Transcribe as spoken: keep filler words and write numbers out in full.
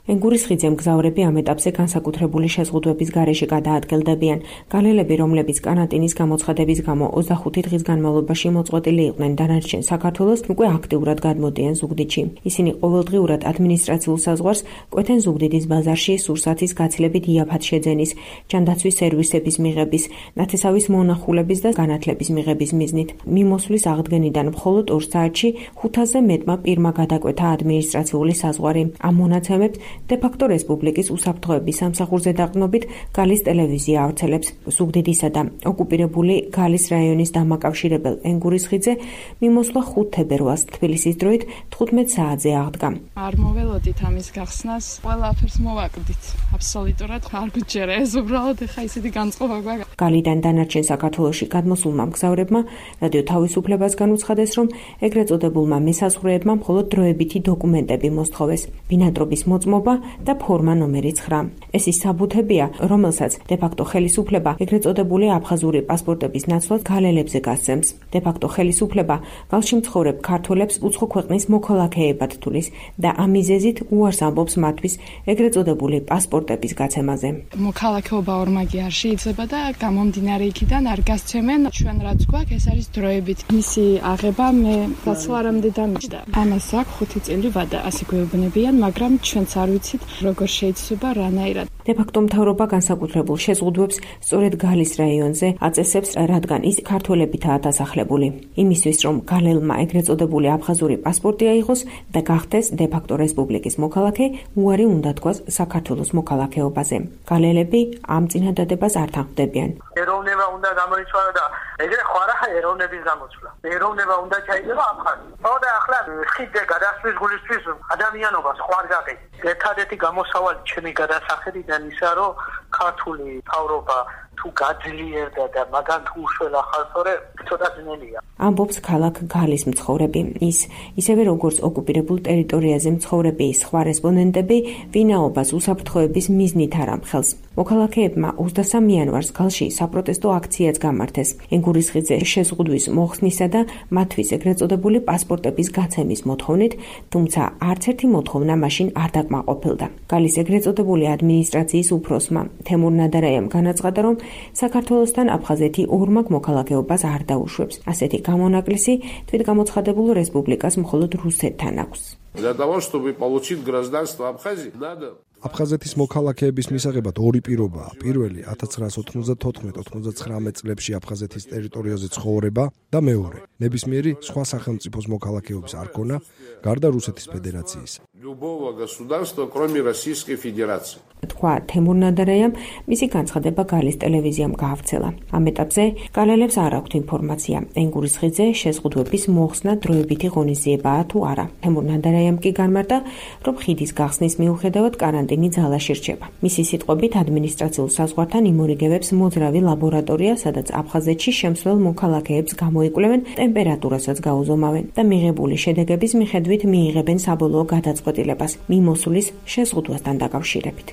ენგურისხიძე მგზავრები ამ ეტაპზე განსაკუთრებული შეზღუდვების გარეშე გადაადგილდებიან. გალელები, რომლებიც კარანტინის გამოცხადების გამო ოცდახუთი დღის განმავლობაში მოწყვეტილი იყვნენ დანარჩენ საქართველოს, უკვე აქტიურად გადმოდიან ზუგდიდში. ისინი ყოველდღიურად ადმინისტრაციულ საზღვარს კვეთენ ზუგდიდის ბაზარში სურსათის გაცილებით იაფად შეძენის, ჯანდაცვის სერვისების მიღების, ნათესავის მონახულების და განათლების მიღების მიზნით. მიმოსვლის აღდგენიდან მხოლოდ ორ საათში ხუთასზე მეტმა პირმა გადაკვეთა ადმინისტრაციული საზღვარი. ამ მონაცემებს დე-ფაქტო რესპუბლიკის უსაფრთხოების სამსახურზე დაყრდნობით გალის ტელევიზია ავრცელებს. ზუგდიდისა და ოკუპირებული გალის რაიონის დამაკავშირებელ ენგურისხიძე მიმოსვლა ხუთ თებერვალს თბილისის დროით თხუთმეტ საათზე აღდგა. არ მოველოდით ამის გახსნას, ყველაფერს მოვაკლდით. აბსოლუტურად არ გუჯერა ეს უბრალოდ ხა ისეთი განწყობა გვაქვს. გალიდან დანარჩენ საქართველოში გადმოსულმა მგზავრებმა რადიო თავისუფლებას განუცხადეს, რომ ეგრეთ წოდებულმა მესაზღვრეებმა მხოლოდ დროებითი დოკუმენტები მოსთხოვეს. ბინადრობის მოწმობა და ფორმა ნომერი ცხრა. ეს ის საბუთებია, რომელსაც დე-ფაქტო ხელისუფლება ეგრეთ წოდებული აფხაზური პასპორტების ნაცვლად გალელებზე გასცემს. დე-ფაქტო ხელისუფლება გალში მცხოვრებ ქართველებს უცხო ქვეყნის მოქალაქეებად თulis და ამ მიზეზით უარს ამბობს მათთვის ეგრეთ წოდებული პასპორტების გაცემაზე. მოქალაქეობა ორმაგი არ შეიძლება და გამომდინარე იქიდან არ გასცემენ. ჩვენ რაც გვაქვს, ეს არის დროებით. მისი აღება მე გაცლარამდე დამიჯდა. ამას აქვს ხუთი წელი ვადა, ასე გვეუბნებიან, მაგრამ ჩვენც არ ვიცით როგორ შეიძლება რანაირად. დე-ფაქტო მთავრობა განსაკუთრებულ შეზღუდვებს სწორედ გალის რაიონზე აწესებს, რადგან ის ქართველებითაა დასახლებული. იმისთვის, რომ გალელმა ეგრეთ წოდებული აფხაზური პასპორტი აიღოს და გახდეს დე-ფაქტო რესპუბლიკის მოქალაქე, უარი უნდა თქვას საქართველოს მოქალაქეობაზე. გალელები ამ წინადადებას არ თანხმდებიან. ეროვნება უნდა გამოიცვალო და ეგრე ხო არა ეროვნების გამოცვლა. ეროვნება უნდა ჩაიდება აფხაზი. ხო და ახლა ხიდზე გადასვლის გულისთვის ადამიანობას ხო არ გაყიდ. ერთადერთი გამოსავალი ჩემი გადასახედიდან ისა, რომ ქართული მთავრობა თუ გაძლიერდა და მაგან თუ უშველა ხალხორე ცოტა ძნელია. ამბობს ქალაქ გალის მცხოვრები. ის ისევე როგორც ოკუპირებულ ტერიტორიაზე მცხოვრები სხვა რესპონდენტები ვინაობას უსაფრთხოების მიზნით არ ამხელს. მოქალაქეებმა ოცდასამი იანვარს გალში საპროტესტო აქციაც გამართეს. ენგურისხიძე შეზღუდვის მოხსნისა და მათთვის ეგრეთ წოდებული პასპორტების გაცემის მოთხოვნით, თუმცა არც ერთი მოთხოვნა მაშინ არ დაკმაყოფილდა. გალის ეგრეთ წოდებული ადმინისტრაციის უფროსმა თემურ ნადარაიამ განაცხადა, რომ საქართველოსთან აფხაზეთი ორმაგ მოქალაქეობას არ დაუშვებს. ასეთი გამონაკლისი თვითგამოცხადებულ რესპუბლიკას მხოლოდ რუსეთთან აქვს. Для того, чтобы получить гражданство Абхазии, надо აფხაზეთის მოქალაქეების მისაღებად ორი პირობაა. პირველი ათას ცხრაას ოთხმოცდათოთხმეტ ოთხმოცდაცხრამეტ წლებში აფხაზეთის ტერიტორიაზე ცხოვრება და მეორე ნებისმიერი სხვა სახელმწიფოს მოქალაქეობის არ ქონა გარდა რუსეთის ფედერაციისა. любого государства, кроме Российской Федерации. თქვა თემურ ნადარაიამ, მისი განცხადება გალის ტელევიზიამ გაავრცელა. ამ ეტაპზე გალელებს არ აქვთ ინფორმაცია, ენგურისხიძე შეზღუდვების მოხსნა დროებითი ღონისძიებაა თუ არა. თემურ ნადარაიამ კი განმარტა, რომ ხიდის გახსნის მიუხედავად კარანტინი ძალაში რჩება. მისი სიტყვებით ადმინისტრაციულ საზღვართან იმორიგებებს მოძრავი ლაბორატორია, სადაც აფხაზეთში შემსვლელ მოქალაქეებს გამოიკვლევენ, ტემპერატურასაც გაუზომავენ და მიღებული შედეგების მიხედვით მიიღებენ საბოლოო გადაწყვეტილებას მიმოსვლის შეზღუდვასთან დაკავშირებით.